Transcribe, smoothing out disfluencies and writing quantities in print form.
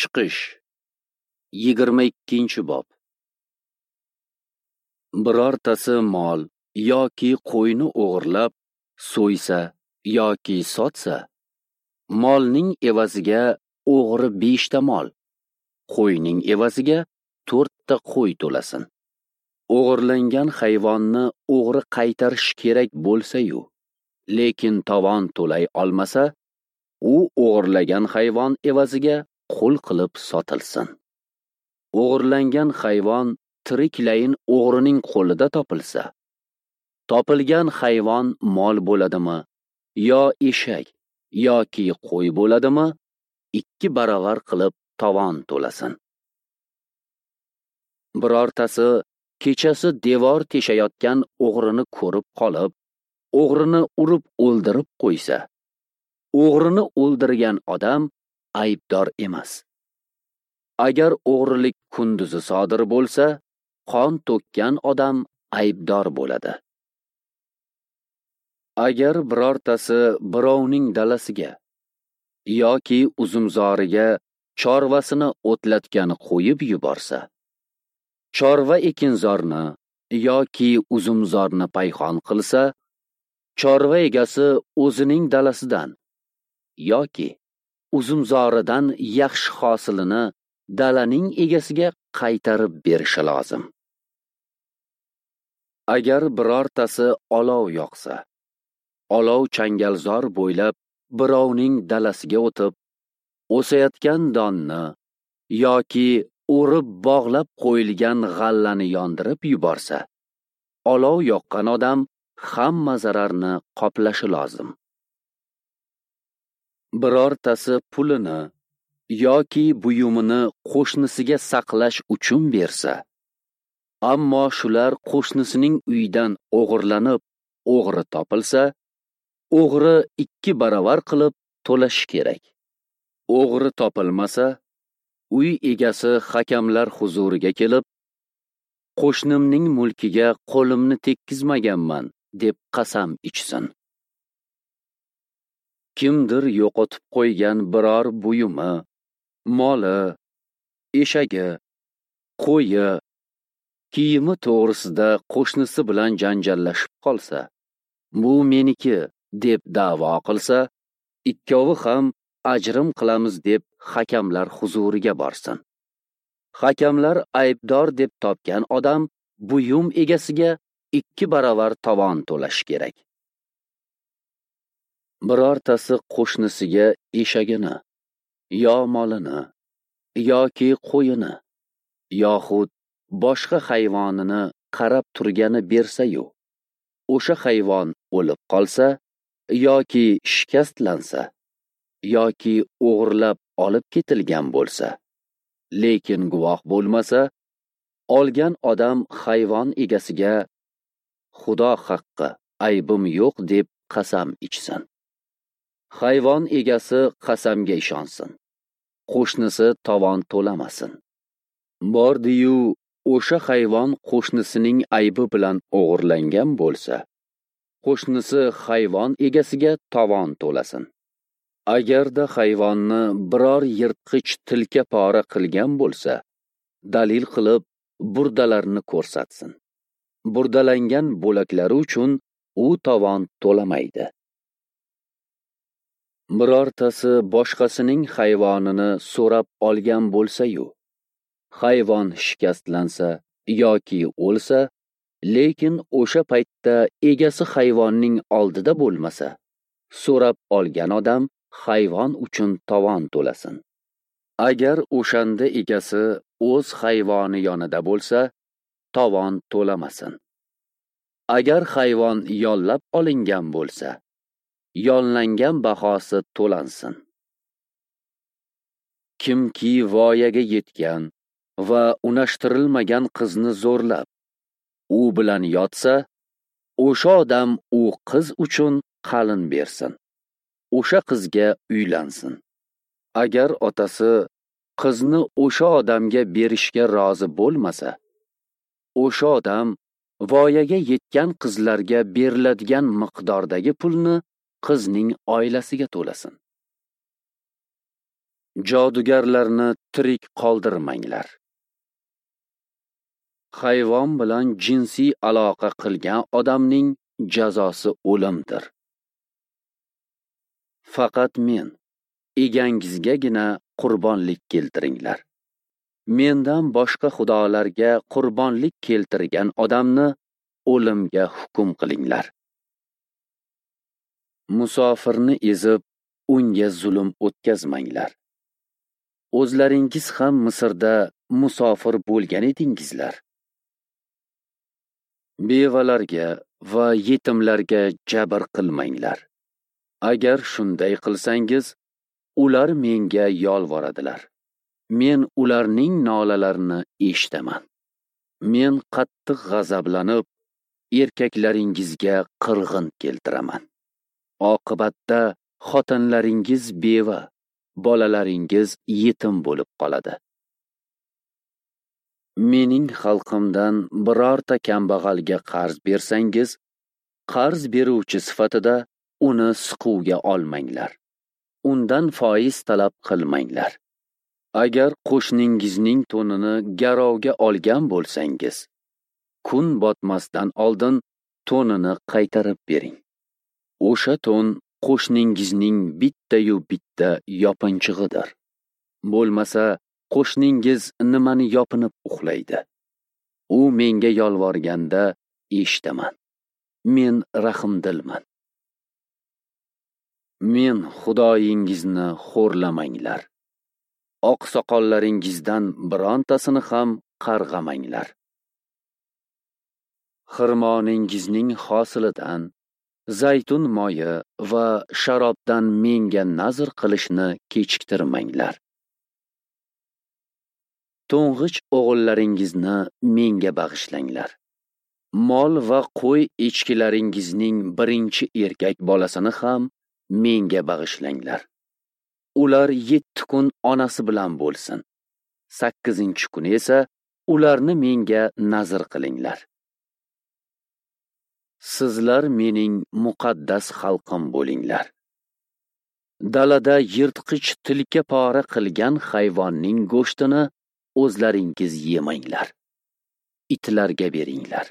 Chiqish 22-bob. Birortasi mol yoki qo'yni o'g'irlab so'ysa yoki sotsa, molning evaziga o'g'ri 5 ta mol, qo'yning evaziga 4 ta qo'y to'lasin. O'g'irlangan hayvonni o'g'ri qaytarish kerak bo'lsa-yu, lekin tovon to'lay olmasa, u o'g'irlagan hayvon evaziga qul qilib sotilsin. O'g'irlangan hayvon tiriklayin o'g'rining qo'lida topilsa, topilgan hayvon mol bo'ladimi, yo eshak yoki qo'y bo'ladimi, 2 baravar qilib tovon to'lasin. Birortasi kechasi devor teshayotgan o'g'rini ko'rib qolib, o'g'rini urib o'ldirib qo'ysa, o'g'rini o'ldirgan odam aybdor emas. Agar o'g'rilik kunduzi sodir bo'lsa, qon to'kkan odam aybdor bo'ladi. Agar birortasi birovning dalasiga yoki uzumzoriga chorvasini o'tlatgani qo'yib yuborsa, chorva ekinzorni yoki uzumzorni payhon qilsa, chorva egasi o'zining dalasidan yoki uzumzoridan yaxshi hosilini dalaning egasiga qaytarib berishi lozim. Agar birortasi olov yoqsa, olov changalzor bo'ylab birovning dalasiga o'tib, o'sayotgan donni yoki o'rib bog'lab qo'yilgan g'allani yondirib yuborsa, olov yoqqan odam hamma zararni qoplashi lozim. Birortasi pulini yoki buyumini qo'shnisiga saqlash uchun bersa, ammo shular qo'shnisining uyidan o'g'irlanib, o'g'ri topilsa, o'g'ri 2 baravar qilib to'lashi kerak. O'g'ri topilmasa, uy egasi hakamlar huzuriga kelib, qo'shnimning mulkiga qo'limni tekkizmaganman deb qasam ichsin. Kimdir yo'qotib qo'ygan biror buyumi, moli, eshagi, qo'yi, kiyimi to'g'risida qo'shnisi bilan janjallashib qolsa, bu meniki deb da'vo qilsa, ikkovi ham ajrim qilamiz deb hakamlar huzuriga borsin. Hakamlar aybdor deb topgan odam buyum egasiga 2 baravar tovon to'lashi kerak. Birortasi qo'shnisiga eshagini, yo molini, yoki qo'yini, yoxud boshqa hayvonini qarab turgani bersa-yu, o'sha hayvon o'lib qolsa yoki shikastlansa, yoki o'g'irlab olib ketilgan bo'lsa, lekin guvoh bo'lmasa, olgan odam hayvon egasiga Xudo haqqi, aybim yo'q deb qasam ichsin. Hayvon egasi qasamga ishonsin, qo'shnisi tovon to'lamasin. Bordi-yu, o'sha hayvon qo'shnisining aybi bilan o'g'irlangan bo'lsa, qo'shnisi hayvon egasiga tovon to'lasin. Agarda hayvonni biror yirtqich tilka pora qilgan bo'lsa, dalil qilib burdalarni ko'rsatsin. Burdalangan bo'laklari uchun u tovon to'lamaydi. Birortasi boshqasining hayvonini so'rab olgan bo'lsa-yu, hayvon shikastlansa yoki o'lsa, lekin o'sha paytda egasi hayvonning oldida bo'lmasa, so'rab olgan odam hayvon uchun tovon to'lasin. Agar o'shanda egasi o'z hayvoni yonida bo'lsa, tovon to'lamasin. Agar hayvon yollab olingan bo'lsa, yollangan bahosi to'lansin. Kimki voyaga yetgan va unashtirilmagan qizni zo'rlab, u bilan yotsa, o'sha odam u qiz uchun qalin bersin. O'sha qizga uylansin. Agar otasi qizni o'sha odamga berishga rozi bo'lmasa, o'sha odam voyaga yetgan qizlarga beriladigan miqdordagi pulni qizning oilasiga to'lasin. Jodugarlarni tirik qoldirmanglar. Hayvon bilan jinsiy aloqa qilgan odamning jazosi o'limdir. Faqat men egangizgagina qurbonlik keltiringlar. Mendan boshqa xudolarga qurbonlik keltirgan odamni o'limga hukm qilinglar. Musofirni ezib, unga zulm o'tkazmanglar. O'zlaringiz ham Misrda musofir bo'lgan edingizlar. Bevalarga va yetimlarga jabr qilmanglar. Agar shunday qilsangiz, ular menga yolvoradilar. Men ularning nolalarini eshitaman. Men qattiq g'azablanib, erkaklaringizga qirg'in keltiraman. Oqibatda xotinlaringiz beva, bolalaringiz yetim bo'lib qoladi. Mening xalqimdan birorta kambag'alga qarz bersangiz, qarz beruvchi sifatida uni siquvga olmanglar. Undan foiz talab qilmanglar. Agar qo'shningizning to'nini garovga olgan bo'lsangiz, kun botmasdan oldin to'nini qaytarib bering. O'sha to'n qo'shningizning bitta-yu bitta yopinchig'idir. Bo'lmasa, qo'shningiz nimani yopinib uxlaydi? U menga yolvorganda eshitaman. Men rahmdilman. Men Xudoyingizni xo'rlamanglar. Oqsoqollaringizdan birontasini ham qarg'amanglar. Xirmoningizning hosilidan, zaytun moyi va sharobdan menga nazr qilishni kechiktirmanglar. To'ng'ich o'g'illaringizni menga bag'ishlanglar. Mol va qo'y echkilaringizning birinchi erkak bolasini ham menga bag'ishlanglar. Ular 7 kun onasi bilan bo'lsin. 8-kuni esa ularni menga nazr qilinglar. Sizlar mening muqaddas xalqim bo'linglar. Dalada yirtqich tilka pora qilgan hayvonning go'shtini o'zlaringiz yemanglar. Itlarga beringlar.